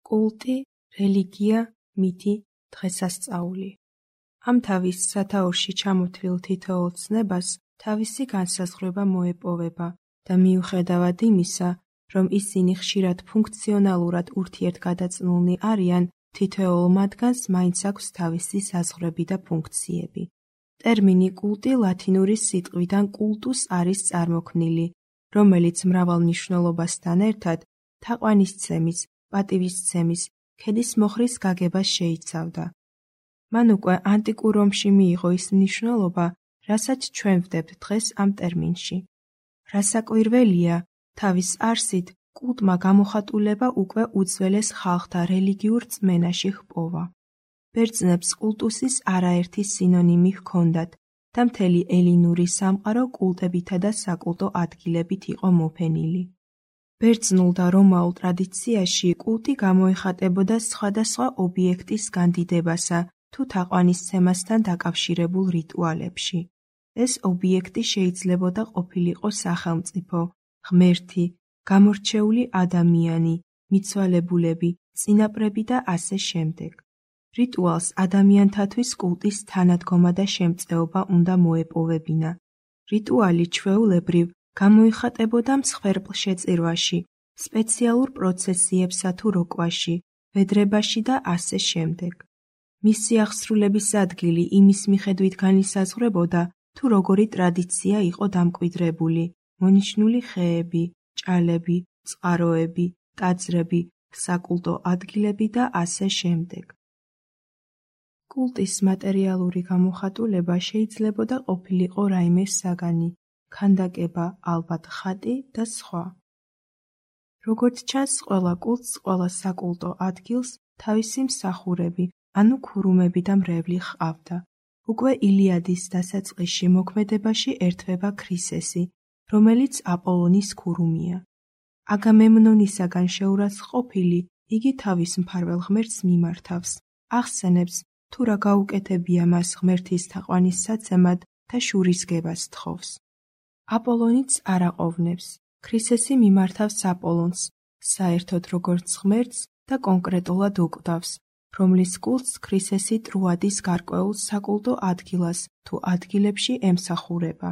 კულტი, რელიგია, მითი, დღესასწაული. ამ თავის სათაურში ჩამოთვლილ თითოეულ ცნებას თავისი განსაზღვრება მოეპოვება და მიუხედავად იმისა, რომ ისინი ხშირად ფუნქციონალურად ურთიერთგადაწნულნი არიან, თითოეულ მათგანს მაინც აქვს თავისი საზღვრები და ფუნქციები. ტერმინი კულტი ლათინური სიტყვიდან კულტუს არის წარმოქმნილი, რომელიც მრავალ მნიშვნელობასთან ერთად თაყვანისცემის, პატივისცემის, ქედის მოხრის გაგებას შეიცავდა. მან უკვე ანტიკურ რომში მიიღო ის მნიშვნელობა, რასაც ჩვენ ვდებთ დღეს ამ ტერმინში. რასაკვირველია, თავის არსით კულტმა გამოხატულება უკვე უძველეს ხალხთა რელიგიურ რწმენაში ჰპოვა. ბერძნებს კულტუსის არაერთი სინონიმი ჰქონდათ და მთელი ელინური სამყარო კულტებითა და საკულტო ადგილებით იყო მოფენილი. ბერძნულ და რომაულ ტრადიციაში კულტი გამოიხატებოდა სხვადასხვა ობიექტის განდიდებასა თუ თაყვანისცემასთან დაკავშირებულ რიტუალებში. ეს ობიექტი შეიძლებოდა ყოფილიყო სახელმწიფო, ღმერთი, გამორჩეული ადამიანი, მიცვალებულები, წინაპრები და ასე შემდეგ. რიტუალს ადამიანთათვის კულტის თანადგომა და შემწეობა უნდა მოეპოვებინა. რიტუალი ჩვეულებრივ გამოიხატებოდა მსხვერპლშეწირვაში, სპეციალურ პროცესიებსა თუ როკვაში, ვედრებაში და ასე შემდეგ. მისი აღსრულების ადგილი იმის მიხედვით განისაზღვრებოდა, თუ როგორი ტრადიცია იყო დამკვიდრებული, მონიშნული ხეები, ჭალები, წყაროები, ტაძრები, საკულტო ადგილები და ასე შემდეგ. კულტის მატერიალური გამოხატულება შეიძლებოდა ყოფილიყო რაიმე საგანი, ქანდაკება, ალბათ ხატი და სხვა. როგორც ჩანს, ყველა კულტს, ყველა საკულტო ადგილს თავისი მსახურები, ანუ ქურუმები და მრევლი ჰყავდა. უკვე ილიადის დასაწყისში მოქმედებაში ერთვება ქრისესი, რომელიც აპოლონის ქურუმია. აგამემნონისაგან შეურაცხყოფილი, იგი თავის მფარველ ღმერთს მიმართავს, ახსენებს, თუ რა გაუკეთებია მას ღმერთის თაყვანისსაცემად და შურისგებას თხოვს. აპოლონიც არ აყოვნებს, ქრისესი მიმართავს აპოლონს, საერთოდ როგორც ღმერთს და კონკრეტულად უკვდავს, რომლის კულტს ქრისესი ტროადის გარკვეულ საკულტო ადგილას თუ ადგილებში ემსახურება.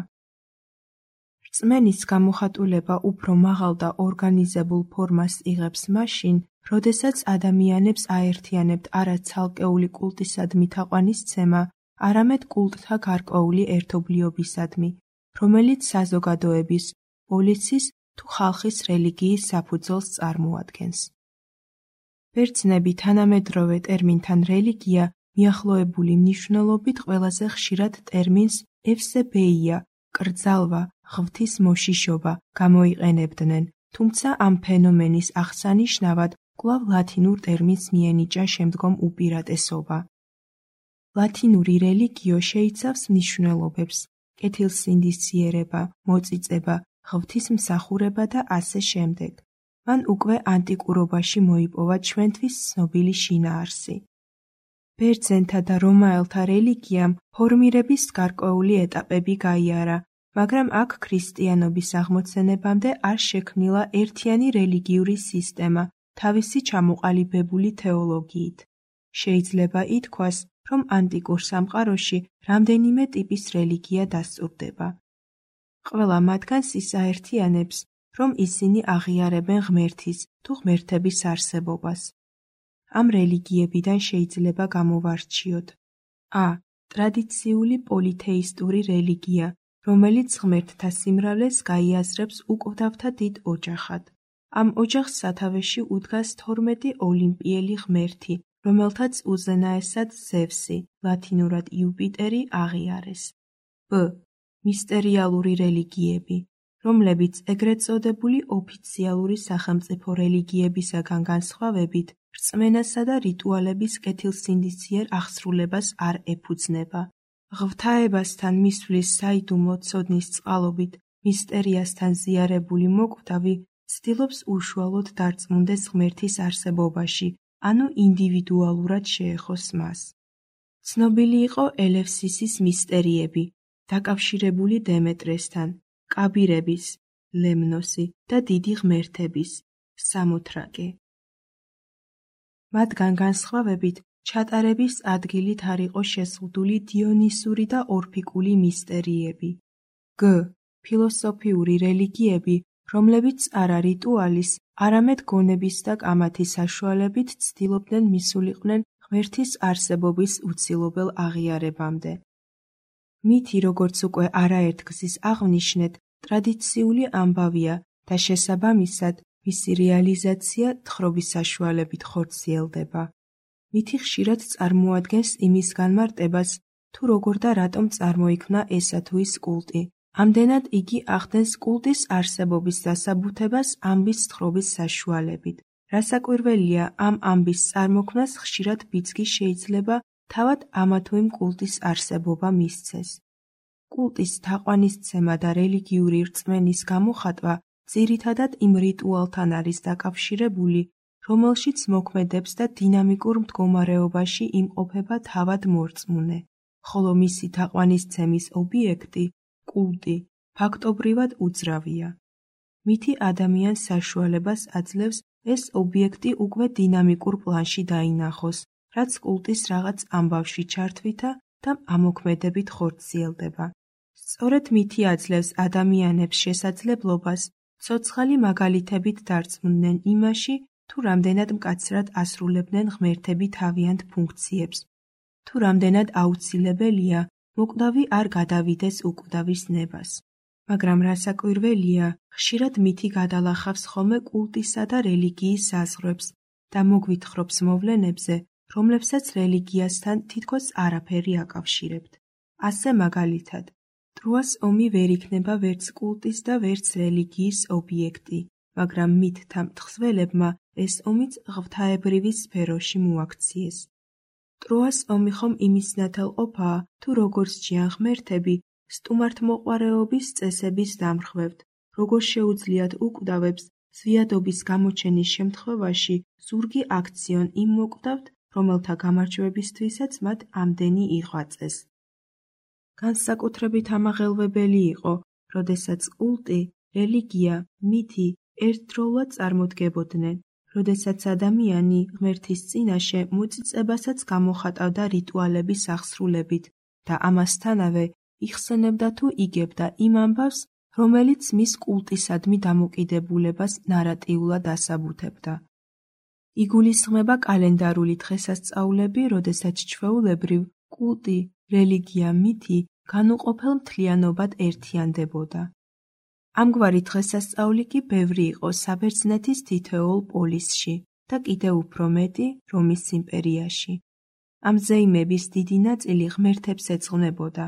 რწმენის გამოხატულება უფრო მაღალ და ორგანიზებულ ფორმას იღებს მაშინ, როდესაც ადამიანებს აერთიანებთ არა ცალკეული კულტისადმი თაყვანისცემა, არამედ კულტთა გარკვეული ერთობლიობისადმი, რომელიც საზოგადოების, პოლიციის თუ ხალხის რელიგიის საფუძველს წარმოადგენს. ბერძნები თანამედროვე ტერმინთან რელიგია მიახლოებული მნიშვნელობით ყველაზე ხშირად ტერმინს ევსებეია, კრძალვა, ღვთის მოშიშობა გამოიყენებდნენ, თუმცა ამ ფენომენის აღსანიშნავად კვლავ ლათინურ ტერმინს მიენიჭა შემდგომ უპირატესობა. ლათინური რელიგიო შეიცავს მნიშვნელობებს, კეთილსინდისიერება, მოწიწება, ღვთისმსახურება და ასე შემდეგ. მან უკვე ანტიკურობაში მოიპოვა ჩვენთვის ცნობილი შინაარსი. ბერძენთა და რომაელთა რელიგიამ ფორმირების გარკვეული ეტაპები გაიარა, მაგრამ აქ ქრისტიანობის აღმოცენებამდე არ შექმნილა ერთიანი რელიგიური სისტემა თავისი ჩამოყალიბებული თეოლოგიით. შეიძლება ითქვას, რომ ანტიკურ სამყაროში რამდენიმე ტიპის რელიგია დასტურდება. ყველა მათგანს ის აერთიანებს, რომ ისინი აღიარებენ ღმერთის თუ ღმერთების არსებობას. ამ რელიგიებიდან შეიძლება გამოვარჩიოთ: ა. ტრადიციული პოლითეისტური რელიგია, რომელიც ღმერთთა სიმრავლეს გაიაზრებს უკვდავთა დიდ ოჯახად. ამ ოჯახს სათავეში უდგას 12 ოლიმპიელი ღმერთი, რომელთაც უზენაესად ზევსი, ლათინურად იუპიტერი აღიარეს. ბ. მისტერიალური რელიგიები, რომლებიც ეგრეთ წოდებული ოფიციალური სახელმწიფო რელიგიებისაგან განსხვავებით, რწმენასა და რიტუალების კეთილსინდისიერ აღსრულებას არ ეფუძნება. ღვთაებასთან მისვლის საიდუმლო ცოდნის წყალობით მისტერიასთან ზიარებული მოკვდავი ცდილობს უშუალოდ დარწმუნდეს ღმერთის არსებობაში, ანუ ინდივიდუალურად შეეხოს მას. ცნობილი იყო ელევსისის მისტერიები, დაკავშირებული დემეტრესთან, კაბირების, ლემნოსი და დიდი ღმერთების, სამოთრაკე. მათგან განსხვავებით, ჩატარების ადგილით არ იყო შეზღუდული დიონისური და ორფიკული მისტერიები. გ. ფილოსოფიური რელიგიები, რომლებიც არა რიტუალის, არამედ გონების და კამათის საშუალებით ცდილობდნენ მისულიყვნენ ღმერთის არსებობის უცილობელ აღიარებამდე. მითი, როგორც უკვე არაერთგზის აღვნიშნეთ, ტრადიციული ამბავია და შესაბამისად, მისი რეალიზაცია თხრობის საშუალებით ხორციელდება. მითი ხშირად წარმოადგენს იმის განმარტებას, თუ როგორ და რატომ წარმოიქმნა ესა თუ ის კულტი. ამდენად იგი ახდენს კულტის არსებობის დასაბუთებას ამბის თხრობის საშუალებით. რასაკვირველია, ამ ამბის წარმოქმნას ხშირად ბიძგი შეიძლება თავად ამა თუ იმ კულტის არსებობა მისცეს. კულტის თაყვანისცემა და რელიგიური რწმენის გამოხატვა ძირითადად იმ რიტუალთან არის დაკავშირებული, რომელშიც მოქმედებს და დინამიკურ მდგომარეობაში იმყოფება თავად მორწმუნე, ხოლო მისი თაყვანისცემის ობიექტი, კულტი, ფაქტობრივად უძრავია. მითი ადამიანს საშუალებას აძლევს ეს ობიექტი უკვე დინამიკურ პლანში დაინახოს, რაც კულტის რაღაც ამბავში ჩართვითა და ამოქმედებით ხორციელდება. სწორედ მითი აძლევს ადამიანებს შესაძლებლობას ცოცხალი მაგალითებით დარწმუნდნენ იმაში, თუ რამდენად მკაცრად ასრულებდნენ ღმერთები თავიანთ ფუნქციებს, თუ რამდენად აუცილებელია მოკვდავი არ გადავიდეს უკვდავის ნებას. მაგრამ რასაკვირველია, ხშირად მითი გადალახავს ხოლმე კულტისა და რელიგიის საზღვრებს და მოგვითხრობს მოვლენებზე, რომლებსაც რელიგიასთან თითქოს არაფერი აკავშირებთ. ასე მაგალითად, ტროას ომი ვერ იქნება ვერც კულტის და ვერც რელიგიის ობიექტი, მაგრამ მითთა მთხზველებმა ეს ომიც ღვთაებრივი სფეროში მოაქციეს. ტროას ომი ხომ იმის ნათელყოფაა, თუ როგორ სჯიან ღმერთები სტუმართმოყვარეობის წესების დამრხვევთ, როგორ შეუძლიათ უკვდავებს ზვიადობის გამოჩენის შემთხვევაში ზურგი აქციონ იმ მოკვდავთ, რომელთა გამარჯვებისთვისაც მათ ამდენი იღვაწეს. განსაკუთრებით ამაღელვებელი იყო, როდესაც კულტი, რელიგია, მითი ერთდროულად წარმოდგებოდნენ, როდესაც ადამიანი ღმერთის წინაშე მოწიწებასაც გამოხატავდა რიტუალების აღსრულებით და ამასთანავე იხსენებდა თუ იგებდა იმ ამბავს, რომელიც მის კულტისადმი დამოკიდებულებას ნარატიულად ასაბუთებდა. იგულისხმება კალენდარული დღესასწაულები, როდესაც ჩვეულებრივ კულტი, რელიგია, მითი განუყოფელ მთლიანობად ერთიანდებოდა. ამგვარი დღესასწაული კი ბევრი იყო საბერძნეთის თითოეულ პოლისში და კიდევ უფრო მეტი რომის იმპერიაში. ამ ზეიმების დიდი ნაწილი ღმერთებს ეძღვნებოდა.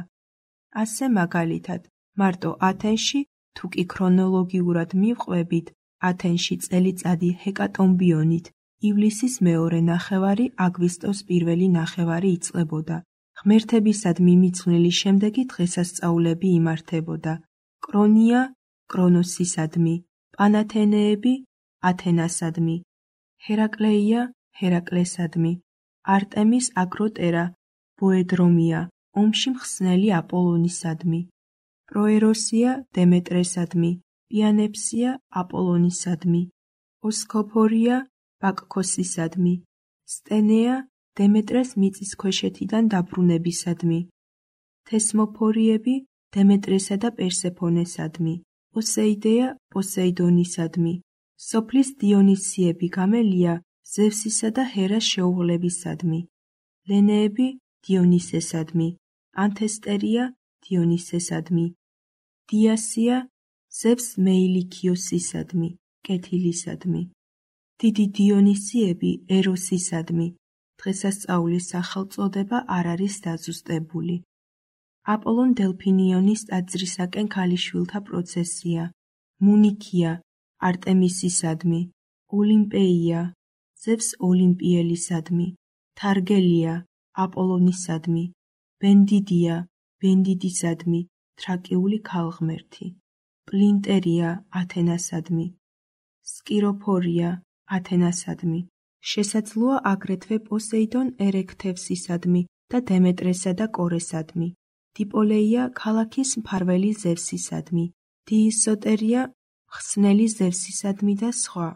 ასე მაგალითად, მარტო ათენში, თუ კი ქრონოლოგიურად მივყვებით, ათენში წელიწადი ჰეკატომბიონით ივლისის მეორე ნახევარი აგვისტოს პირველი ნახევარი იწყებოდა. ღმერთებისადმი მიძღვნილი შემდეგი დღესასწაულები იმართებოდა. კრონია კრონოსისადმი, პანათენეები ათენასადმი, ჰერაკლეია ჰერაკლესადმი, არტემის აკროტერა ბოედრომია ომში მხსნელი აპოლონისადმი, პროეროსია დემეტრესადმი, პიანეფსია აპოლონისადმი, ოსკოფორია ბაკქოსისადმი, სტენეა დემეტრეს მიწისქვეშეთიდან დაბრუნებისადმი, თესმოფორიები დემეტრესა და პერსეფონესადმი, პოსეიდეა პოსეიდონისადმი, სოფლის დიონისიები გამელია ზევსისა და ჰერას შეუღლებისადმი, ლენეები დიონისესადმი, ანთესტერია დიონისესადმი, დიასია ზევს მეილიქიოსისადმი, კეთილისადმი, დიდი დიონისიები ეროსისადმი. დღესასწაულის სახელწოდება არ არის დაზუსტებული. აპოლონ დელფინიონის ტაძრისაკენ ქალიშვილთა პროცესია, მუნიქია არტემისისადმი, ოლიმპეია ზევს ოლიმპიელისადმი, თარგელია აპოლონისადმი, ბენდიდია ბენდიდისადმი, თრაკიული ქალღმერთი, პლინტერია ათენასადმი, სკიროფორია ათენასადმი. შესაძლოა აგრეთვე პოსეიდონ ერექთევსისადმი და დემეტრესა და კორესადმი, დიპოლეია ქალაქის მფარველი ზევსისადმი, დიისოტერია მხსნელი ზევსისადმი და სხვა.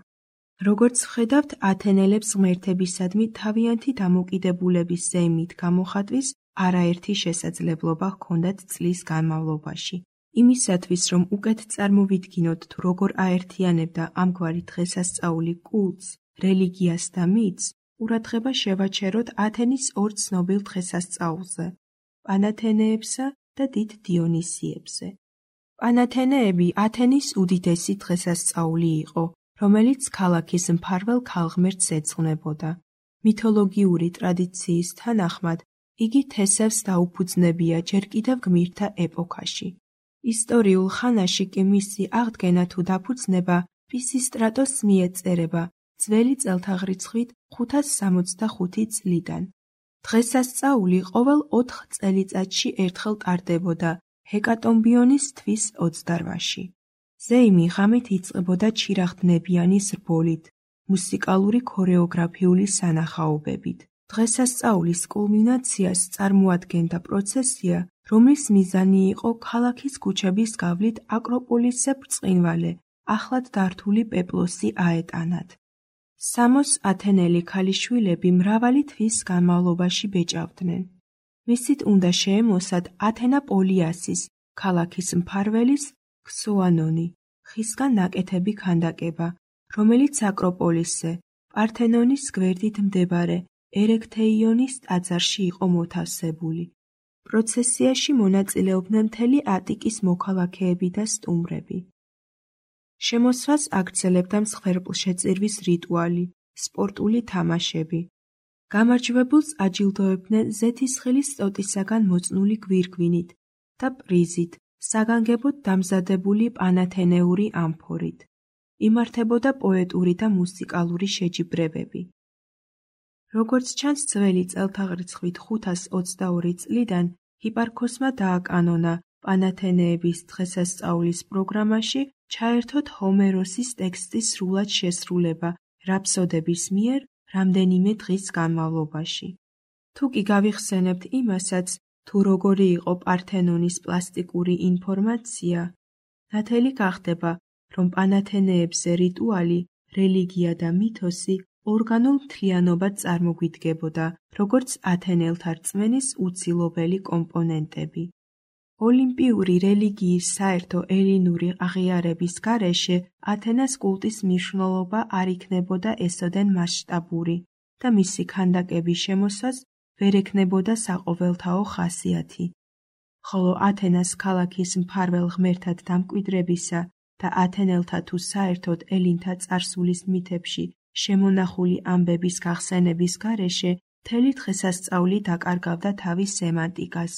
როგორც ხედავთ, ათენელებს ღმერთებისადმი თავიანთი დამოკიდებულების ზეიმით გამოხატვის არაერთი შესაძლებლობა ჰქონდათ წლის განმავლობაში. იმისათვის, რომ უკეთ წარმოვიდგინოთ თუ როგორ აერთიანებდა ამგვარი დღესასწაული კულტს, რელიგიას და მითს, ყურადღება შევაჩეროთ ათენის ორ ცნობილ დღესასწაულზე, პანათენეებსა და დიდ დიონისიებზე. პანათენეები ათენის უდიდესი დღესასწაული იყო, რომელიც ქალაქის მფარველ ქალღმერთს ეძღვნებოდა. მითოლოგიური ტრადიციის თანახმად, იგი თესევს დაუფუძნებია ჯერ კიდევ გმირთა ეპოქაში. ისტორიულ ხანაში კი მისი აღდგენა თუ დაფუძნება პისისტრატოს მიეწერება ძველი წელთაღრიცხვით 565 წლიდან. დღესასწაული ყოველ 4 წელიწადში ერთხელ ტარდებოდა ჰეკატომბიონის თვის 28-ში. ზეიმი ღამით იწყებოდა ჩირაღდნებიანი ზრბოლით, მუსიკალური ქორეოგრაფიული სანახაობებით. დღესასწაულის კულმინაციას წარმოადგენდა პროცესია, რომლის მიზანი იყო ქალაქის ქუჩების გავლით აკროპოლისზე ბრწყინვალე, ახლად დართული პეპლოსი აეტანათ. სამოს ათენელი ქალიშვილები მრავალი თვის განმავლობაში ბეჭავდნენ. მისით უნდა შეემოსათ ათენა პოლიასის, ქალაქის მფარველის, ქსოანონი, ხისგან ნაკეთები ქანდაკება, რომელიც აკროპოლისზე, პართენონის გვერდით მდებარე ერექთეიონის ტაძარში იყო მოთავსებული. პროცესიაში მონაწილეობდნენ მთელი ატიკის მოქალაქეები და სტუმრები. შემოსვას აგრძელებდა მსხვერპლშეწირვის რიტუალი, სპორტული თამაშები. გამარჯვებულს აჯილდოებდნენ ზეთისხილის ტოტისაგან მოწნული გვირგვინით და პრიზით, საგანგებოდ დამზადებული პანათენეული ამფორით. იმართებოდა პოეტური და მუსიკალური შეჯიბრებები. როგორც ჩანს ძველი წელთაღრიცხვით 522 წლიდან, ჰიპარქოსმა დააკანონა პანათენეების დღესასწაულის პროგრამაში ჩაერთოთ ჰომეროსის ტექსტის სრულად შესრულება რაფსოდების მიერ რამდენიმე დღის განმავლობაში. თუ კი გავიხსენებთ იმასაც, თუ როგორი იყო პართენონის პლასტიკური ინფორმაცია, ნათელი გახდება, რომ პანათენეებზე რიტუალი, რელიგია და მითოსი ორგანულ მთლიანობად წარმოგვიდგებოდა, როგორც ათენელთა რწმენის უცილობელი კომპონენტები. ოლიმპიური რელიგიის საერთო ელინური აღიარების გარეშე ათენას კულტის მნიშვნელობა არ იქნებოდა ესოდენ მასშტაბური და მისი ქანდაკების შემოსვას ვერ ექნებოდა საყოველთაო ხასიათი. ხოლო ათენას ქალაქის მფარველ ღმერთად დამკვიდრებისა და ათენელთა თუ საერთოდ ელინთა წარსულის მითებში შემონახული ამბების გახსენების გარეშე მთელი დღესასწაული დაკარგავდა თავის სემანტიკას.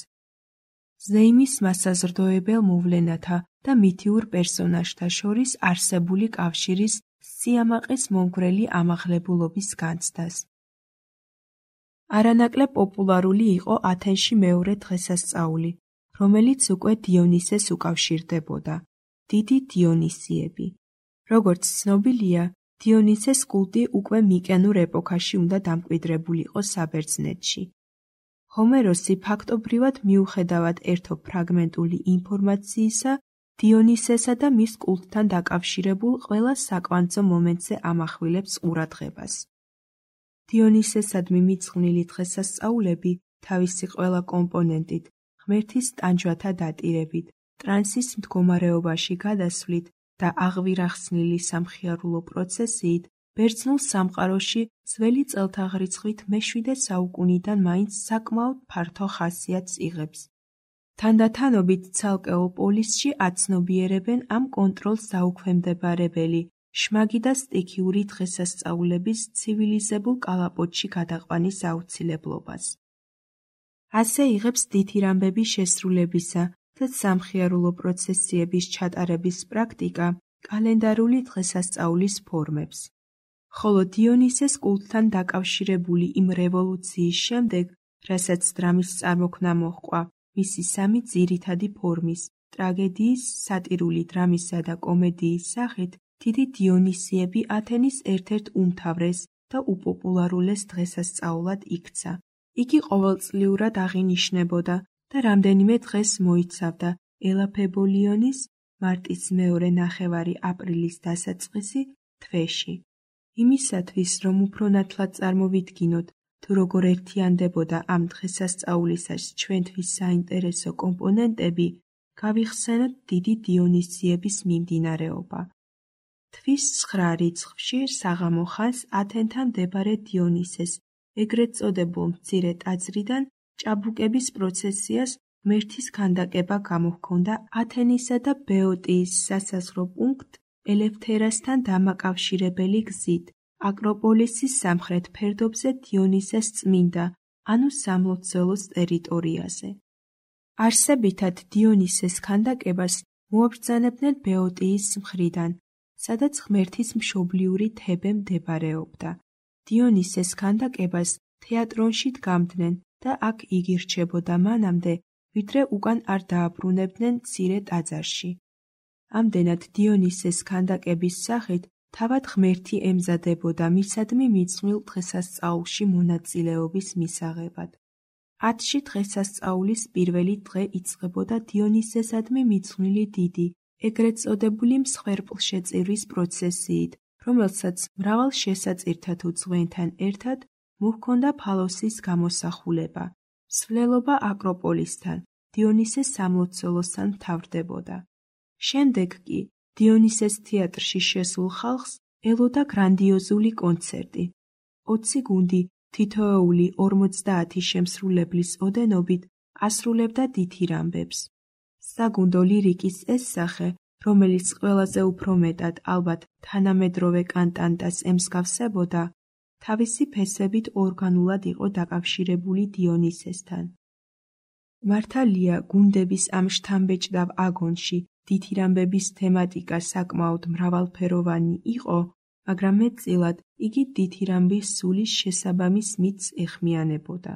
ზეიმის მასაზრდოებელ მოვლენათა და მითიურ პერსონაჟთა შორის არსებული კავშირის სიამაყის მომგვრელი ამაღლებულობის განცდას. არანაკლებ პოპულარული იყო ათენში მეორე დღესასწაული, რომელიც უკვე დიონისეს უკავშირდებოდა, დიდი დიონისიები. როგორც ცნობილია, დიონისეს კულტი უკვე მიკენურ ეპოქაში უნდა დამკვიდრებულიყო საბერძნეთში. ჰომეროსი ფაქტობრივად მიუხედავად ერთო ფრაგმენტული ინფორმაციისა, დიონისესა და მის კულტთან დაკავშირებულ ყველა საკვანძო მომენტზე ამახვილებს ყურადღებას. დიონისესადმი მიძღვნილი დღესასწაულები თავისი ყველა კომპონენტით, ღმერთის ტანჯვათა დატირებით, ტრანსის მდგომარეობაში გადასვლით და აღვირახსნილი სამხიარულო პროცესიით, ბერძნულ სამყაროში ძველი წელთაღრიცხვით მე-7 საუკუნიდან მაინც საკმაოდ ფართო ხასიათს იღებს. თანდათანობით ცალკეულ პოლისში აცნობიერებენ ამ კონტროლს დაუქვემდებარებელი, შმაგი და სტიქიური დღესასწაულების ცივილიზებულ კალაპოტში გადაყვანის აუცილებლობას. ასე იღებს დითირამბების შესრულებისა და სამხიარულო პროცესიების ჩატარების პრაქტიკა კალენდარული დღესასწაულის ფორმებს. ხოლო დიონისეს კულტთან დაკავშირებული იმ რევოლუციის შემდეგ, რასაც დრამის წარმოქმნა მოჰყვა, მისი სამი ძირითადი ფორმის, ტრაგედიის, სატირული დრამისა და კომედიის სახით, დიდი დიონისიები ათენის ერთ-ერთ უმთავრეს და უპოპულარულეს დღესასწაულად იქცა. იგი ყოველწლიურად აღინიშნებოდა და რამდენიმე დღეს მოიცავდა ელაფებოლიონის მარტის მეორე ნახევარი აპრილის დასაწყისი თვეში. იმისათვის, რომ უფრო ნათლად წარმოვიდგინოთ, თუ როგორ ერთიანდებოდა ამ დღესასწაულისას ჩვენთვის საინტერესო კომპონენტები, გავიხსენოთ დიდი დიონისიების მიმდინარეობა. თვის 9 რიცხვში საღამო ხანს ათენთან მდებარე დიონისეს, ეგრეთ წოდებულ მცირე ტაძრიდან ჭაბუკების პროცესიას ღმერთის ქანდაკება გამოჰქონდა ათენისა და ბეოტიის სასაზღვრო პუნქტ ელევთერასთან დამაკავშირებელი გზით, აკროპოლისის სამხრეთ ფერდობზე დიონისეს წმინდა, ანუ სამლოცველოს ტერიტორიაზე. არსებითად დიონისეს ქანდაკებას მოაბრძანებდნენ ბეოტიის მხრიდან, სადაც ღმერთის მშობლიური თებე მდებარეობდა. დიონისეს ქანდაკებას თეატრონში დგამდნენ და აქ იგი რჩებოდა მანამდე, ვიდრე უკან არ დააბრუნებდნენ მცირე ტაძარში. ამდენად დიონისეს ქანდაკების სახით თავად ღმერთი ემზადებოდა მისადმი მიძღვნილ დღესასწაულში მონაწილეობის მისაღებად. 10-ში დღესასწაულის პირველი დღე იწყებოდა დიონისესადმი მიძღვნილი დიდი, ეგრეთ წოდებული მსხვერპლშეწირვის პროცესიით, რომელსაც მრავალ შესაწირთა თუ ძღვენთან ერთად მოჰქონდა ფალოსის გამოსახულება. მსვლელობა აკროპოლისთან, დიონისეს სამლოცველოსთან მთავრდებოდა. შემდეგ კი დიონისეს თეატრში შესულ ხალხს ელოდა გრანდიოზული კონცერტი. 20 გუნდი თითოეული 50 შემსრულებლის ოდენობით ასრულებდა დითირამბებს. საგუნდო ლირიკის ეს სახე, რომელიც ყველაზე უფრო მეტად ალბათ თანამედროვე კანტანტას ემსგავსებოდა, თავისი ფესვებით ორგანულად იყო დაკავშირებული დიონისესთან. მართალია, გუნდების ამ შთამბეჭდავ აგონში დითირამბების თემატიკა საკმაოდ მრავალფეროვანი იყო, მაგრამ მეტწილად იგი დითირამბის სულის შესაბამის მითს ეხმიანებოდა.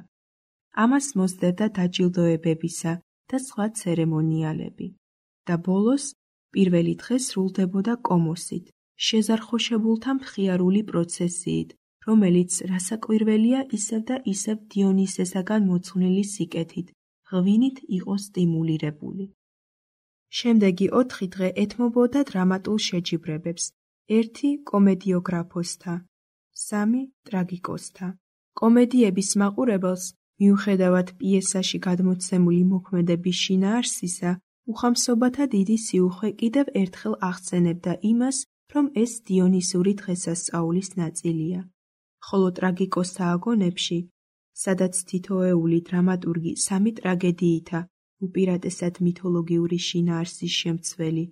ამას მოსდევდა დაჯილდოებებისა და სხვა ცერემონიალები. და ბოლოს, პირველი დღე სრულდებოდა კომოსით, შეზარხოშებულთა მხიარული პროცესიით, რომელიც რასაკვირველია ისევ და ისევ დიონისესაგან მოძღვნილი სიკეთით, ღვინით იყო სტიმულირებული. შემდეგი 4 დღე ეთმობოდა დრამატულ შეჯიბრებებს, 1 კომედიოგრაფოსთა, 3 ტრაგიკოსთა. კომედიების მაყურებელს, მიუხედავად პიესაში გადმოცემული მოქმედების შინაარსისა, უხამსობათა დიდი სიუხვე კიდევ ერთხელ ახსენებდა იმას, რომ ეს დიონისური დღესასწაულის ნაწილია. ხოლო ტრაგიკოსთა აგონებში, სადაც თითოეული დრამატურგი 3 ტრაგედიითა, უპირატესად მითოლოგიური შინაარსის შემცველი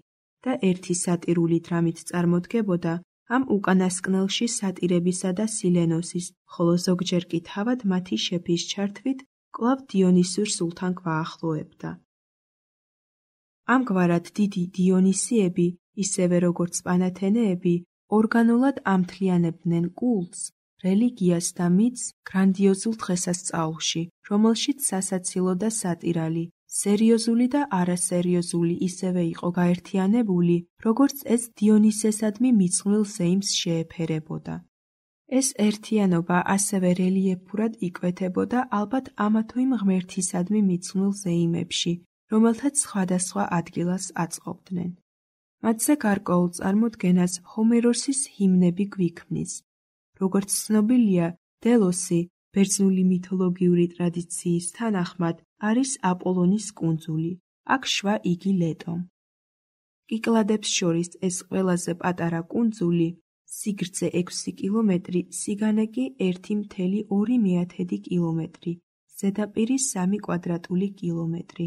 და 1 სატირული დრამით წარმოდგებოდა, ამ უკანასკნელში სატირებისა და სილენოსის, ხოლო ზოგჯერ კი თავად მათი შეფის ჩართვით კვლავ დიონისურ სულთან გვაახლოებდა. ამგვარად დიდი დიონისიები, ისევე როგორც პანათენეები, ორგანულად ამთლიანებდნენ კულტს, რელიგიას და მითს გრანდიოზულ დღესასწაულში, რომელშიც სასაცილო და სატირალი, სერიოზული და არასერიოზული ისევე იყო გაერთიანებული, როგორც ეს დიონისესადმი მიძღვნილ ზეიმს შეეფერებოდა. ეს ერთიანობა ასევე რელიეფურად იკვეთებოდა ალბათ ამა თუ იმ ღმერთისადმი მიძღვნილ ზეიმებში, რომელთაც სხვადასხვა ადგილას აწყობდნენ. მათზე გარკვეულ წარმოდგენას ჰომეროსის ჰიმნები გვიქმნის. როგორც ცნობილია, დელოსი, ბერძნული მითოლოგიური ტრადიციის თანახმად, არის აპოლონის კუნძული, აქ შვა იგი ლეტომ. კიკლადებს შორის ეს ყველაზე პატარა კუნძული, სიგრძე 6 კილომეტრი, სიგანე კი 1,2 კილომეტრი, ზედაპირი 3 კვადრატული კილომეტრი.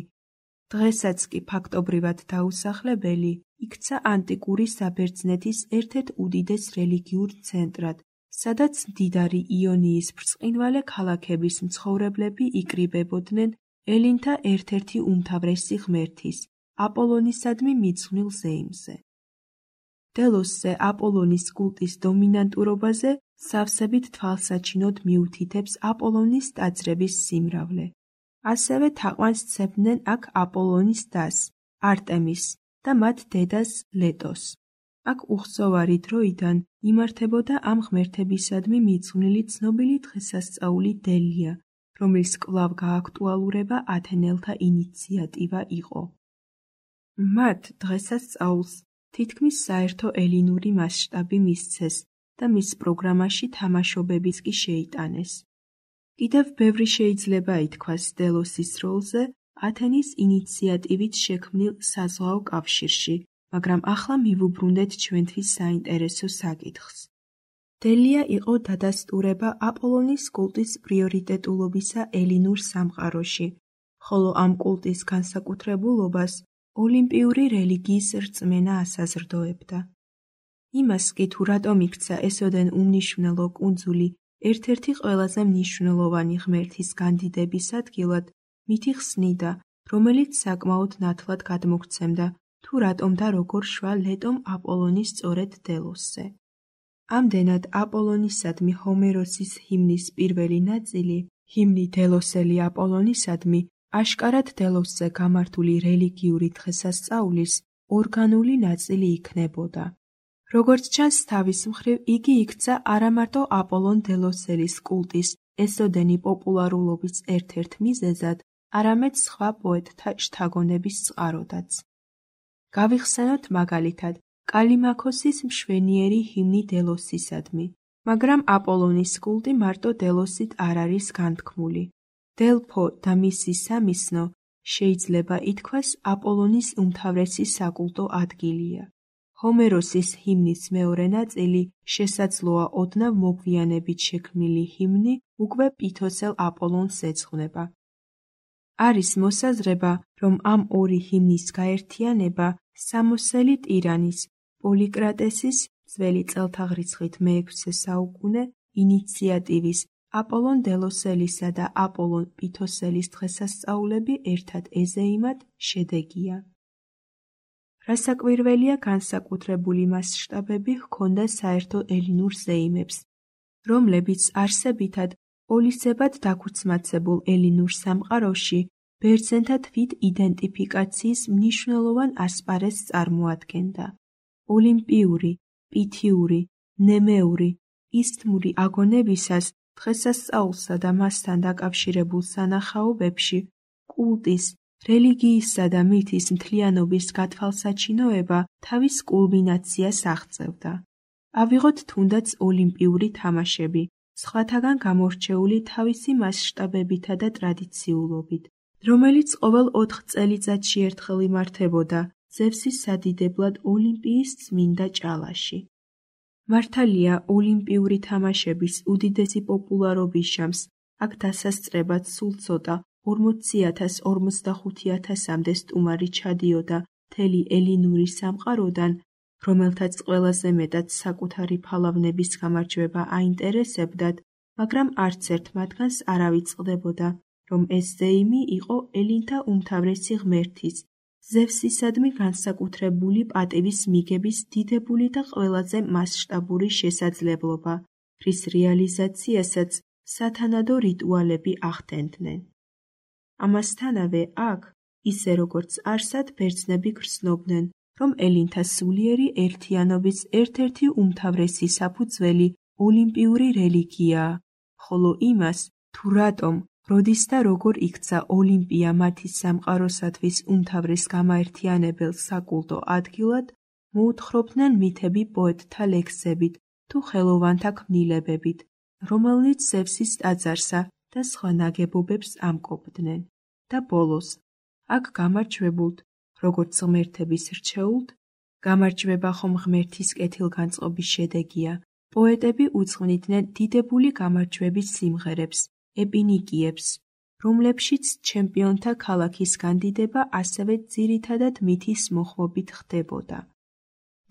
დღესაც კი ფაქტობრივად დაუსახლებელი, იქცა ანტიკური საბერძნეთის ერთ-ერთ უდიდეს რელიგიურ ცენტრად, სადაც მდიდარი იონიის ბრწყინვალე ქალაქების მცხოვრებლები იკრიბებოდნენ ელინთა ერთ-ერთი უმთავრესი ღმერთის, აპოლონისადმი მიძღვნილ ზეიმზე. დელოსზე აპოლონის კულტის დომინანტურობაზე სავსებით თვალსაჩინოდ მიუთითებს აპოლონის ტაძრების სიმრავლე. ასევე თაყვანს სცემდნენ აქ აპოლონის დას, არტემის და მათ დედას ლეტოს. აქ უხსოვარი დროიდან იმართებოდა ამ ღმერთებისადმი მიძღვნილი ცნობილი დღესასწაული დელია, რომლის კვლავ გააქტუალურება ათენელთა ინიციატივა იყო. მათ დღესასწაულს თითქმის საერთო ელინური მასშტაბი მისცეს და მის პროგრამაში თამაშობებიც კი შეიტანეს. კიდევ ბევრი შეიძლება ითქვას დელოსის როლზე ათენის ინიციატივით შექმნილ საზღვაო კავშირში, მაგრამ ახლა მივუბრუნდეთ ჩვენთვის საინტერესო საკითხს. დელია იყო დადასტურება აპოლონის კულტის პრიორიტეტულობისა ელინურ სამყაროში, ხოლო ამ კულტის განსაკუთრებულობას ოლიმპიური რელიგიის რწმენა ასაზრდოებდა. იმას კი თუ რატომ იქცა ესოდენ უმნიშვნელო კუნძული ერთ-ერთი ყველაზე მნიშვნელოვანი ღმერთის განდიდების ადგილად, მითი ხსნიდა, რომელიც საკმაოდ ნათლად გადმოგვცემდა, თუ რატომ და როგორ შვა ლეტომ აპოლონის სწორედ დელოსზე. ამდენად აპოლონისადმი ჰომეროსის ჰიმნის პირველი ნაწილი, ჰიმნი დელოსელი აპოლონისადმი, აშკარად დელოსზე გამართული რელიგიური დღესასწაულის ორგანული ნაწილი იქნებოდა. როგორც ჩანს, თავის მხრივ იგი იქცა არამარტო აპოლონ დელოსელის კულტის ესოდენი პოპულარულობის ერთ-ერთ მიზეზად, არამედ სხვა პოეტთა შთაგონების წყაროდაც. გავიხსენოთ მაგალითად კალიმაქოსის მშვენიერი ჰიმნი დელოსისადმი, მაგრამ აპოლონის კულტი მარტო დელოსით არ არის განთქმული. დელფო და მისი სამისნო შეიძლება ითქვას აპოლონის უმთავრესი საკულტო ადგილია. ჰომეროსის ჰიმნის მეორე ნაწილი შესაძლოა ოდნავ მოგვიანებით შექმნილი ჰიმნი უკვე პითოსელ აპოლონს ეძღვნება. არის მოსაზრება, რომ ამ ორი ჰიმნის გაერთიანება სამოსელი ტირანის პოლიკრატესის ძველი წელთაღრიცხვით მე-6 საუკუნე ინიციატივის აპოლონ დელოსელისა და აპოლონ პითოსელის დღესასწაულები ერთად ეზეიმად შედეგია. რასაკვირველია, განსაკუთრებული მასშტაბები ჰქონდა საერთო ელინურ ზეიმებს, რომლებიც არსებითად პოლისებად დაქუცმაცებულ ელინურ სამყაროში ბერძენთა თვით იდენტიფიკაციის მნიშვნელოვან ასპარეზს წარმოადგენდა. ოლიმპიური, პითიური, ნემეური, ისთმური აგონებისას დღესასწაულსა და მასთან დაკავშირებულ სანახაობებში კულტის, რელიგიისა და მითის მთლიანობის გათვალსაჩინოება თავის კულმინაციას აღწევდა. ავიღოთ თუნდაც ოლიმპიური თამაშები, სხვათაგან გამორჩეული თავისი მასშტაბებითა და ტრადიციულობით, რომელიც ყოველ 4 წელიწადში ერთხელ იმართებოდა ზევსის სადიდებლად ოლიმპიის წმინდა ჭალაში. მართალია, ოლიმპიური თამაშების უდიდესი პოპულარობის შამს აქ დასასწრებად სულ ცოტა 40,000-45,000-მდე სტუმარი ჩადიოდა მთელი ელინური სამყაროდან, რომელთაც ყველაზე მეტად საკუთარი ფალავნების გამარჯვება აინტერესებდათ, მაგრამ არც ერთ მათგანს არ ავიწყდებოდა, რომ ეს ზეიმი იყო ელინთა უმთავრესი ღმერთის, ზევსისადმი განსაკუთრებული პატივის მიგების დიდებული და ყველაზე მასშტაბური შესაძლებლობა, რის რეალიზაციასაც სათანადო რიტუალები ახდენდნენ. ამასთანავე აქ, ისე როგორც არსად, ბერძნები გრძნობდნენ, რომ ელინთა სულიერი ერთიანობის ერთ-ერთი უმთავრესი საფუძველი ოლიმპიური რელიგიაა, ხოლო იმას, თუ რატომ, როდის და როგორ იქცა ოლიმპია მათი სამყაროსათვის უმთავრეს გამაერთიანებელ საკულტო ადგილად, მოუთხრობდნენ მითები პოეტთა ლექსებით თუ ხელოვანთა ქმნილებებით, რომელნიც ზევსის ტაძარსა და სხვა ნაგებობებს ამკობდნენ. და ბოლოს, აქ გამარჯვებულთ, როგორც ღმერთების რჩეულთ, გამარჯვება ხომ ღმერთის კეთილგანწყობის შედეგია, პოეტები უძღვნიდნენ დიდებული გამარჯვების სიმღერებს, ეპინიკიებს, რომლებშიც ჩემპიონთა ქალაქის განდიდება ასევე ძირითადად მითის მოხმობით ხდებოდა.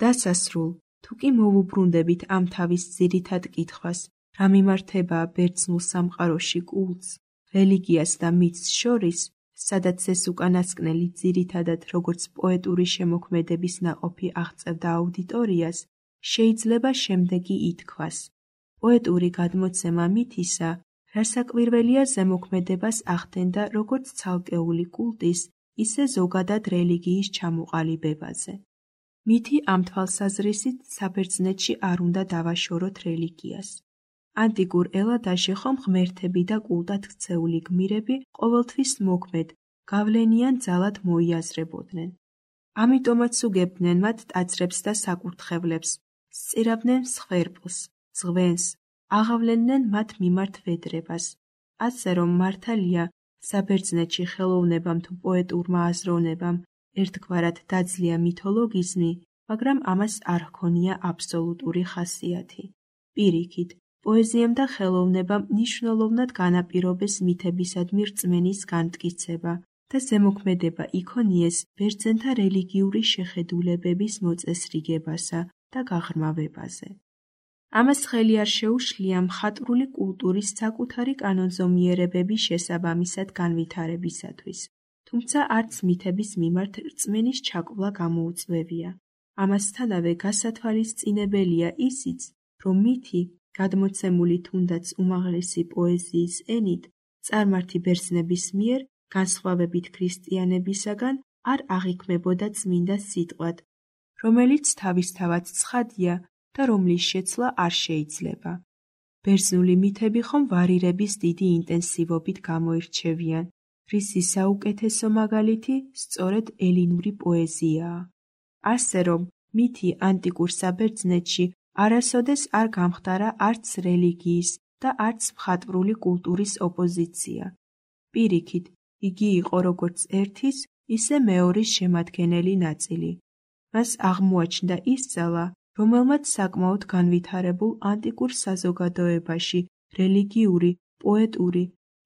დასასრულ, თუ კი მოვუბრუნდებით ამ თავის ძირითად კითხვას, რა მიმართებაა ბერძნულ სამყაროში კულტს, რელიგიას და მითს შორის, სადაც ეს უკანასკნელი ძირითადად როგორც პოეტური შემოქმედების ნაყოფი აღწევდა აუდიტორიას, შეიძლება შემდეგი ითქვას. პოეტური გადმოცემა მითისა, რასაკვირველია, ზემოქმედებას ახდენდა როგორც ცალკეული კულტის, ისე ზოგადად რელიგიის ჩამოყალიბებაზე. მითი ამ თვალსაზრისით საბერძნეთში არ უნდა დავაშოროთ რელიგიას. ანტიკურ ელადაში ხომ ღმერთები და კულტად ქცეული გმირები ყოველთვის მოქმედ, გავლენიან ძალად მოიაზრებოდნენ. ამიტომაც უგებდნენ მათ ტაძრებს და საკურთხევლებს, სწირავდნენ მსხვერპლს, ზღვენს, აღავლენდნენ მათ მიმართ ვედრებას. ასე რომ მართალია, საბერძნეთში ხელოვნებამ თუ პოეტურმა აზროვნებამ ერთგვარად დაძლია მითოლოგიზმი, მაგრამ ამას არ ჰქონია აბსოლუტური ხასიათი. პირიქით, პოეზიამ და ხელოვნებამ მნიშვნელოვნად განაპირობეს მითებისადმი რწმენის განმტკიცება და ზემოქმედება იქონიეს ბერძენთა რელიგიური შეხედულებების მოწესრიგებასა და გაღრმავებაზე. ამას ხელი არ შეუშლია მხატვრული კულტურის საკუთარი კანონზომიერებების შესაბამისად განვითარებისათვის, თუმცა არც მითების მიმართ რწმენის ჩაკვლა გამოუწვევია. ამასთანავე გასათვალისწინებელია ისიც, რომ მითი, გადმოცემული თუნდაც უმაღლესი პოეზიის ენით, წარმართი ბერძნების მიერ, განსხვავებით ქრისტიანებისაგან, არ აღიქმებოდა წმინდა სიტყვად, რომელიც თავისთავად ცხადია და რომლის შეცვლა არ შეიძლება. ბერძნული მითები ხომ ვარირების დიდი ინტენსივობით გამოირჩევიან, რისი საუკეთესო მაგალითი სწორედ ელინური პოეზიაა. ასე რომ, მითი ანტიკურ საბერძნეთში არასოდეს არ გამხდარა არც რელიგიის და არც მხატვრული კულტურის ოპოზიცია. პირიქით, იგი იყო როგორც ერთის, ისე მეორის შემადგენელი ნაწილი. მას აღმოაჩნდა ის ძალა, რომელმაც საკმაოდ განვითარებულ ანტიკურ საზოგადოებაში რელიგიური, პოეტური,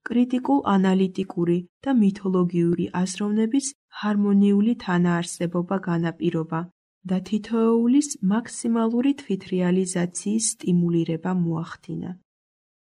კრიტიკულ-ანალიტიკური და მითოლოგიური აზროვნების ჰარმონიული თანაარსებობა განაპირობა და თითოეულის მაქსიმალური თვითრეალიზაციის სტიმულირება მოახდინა.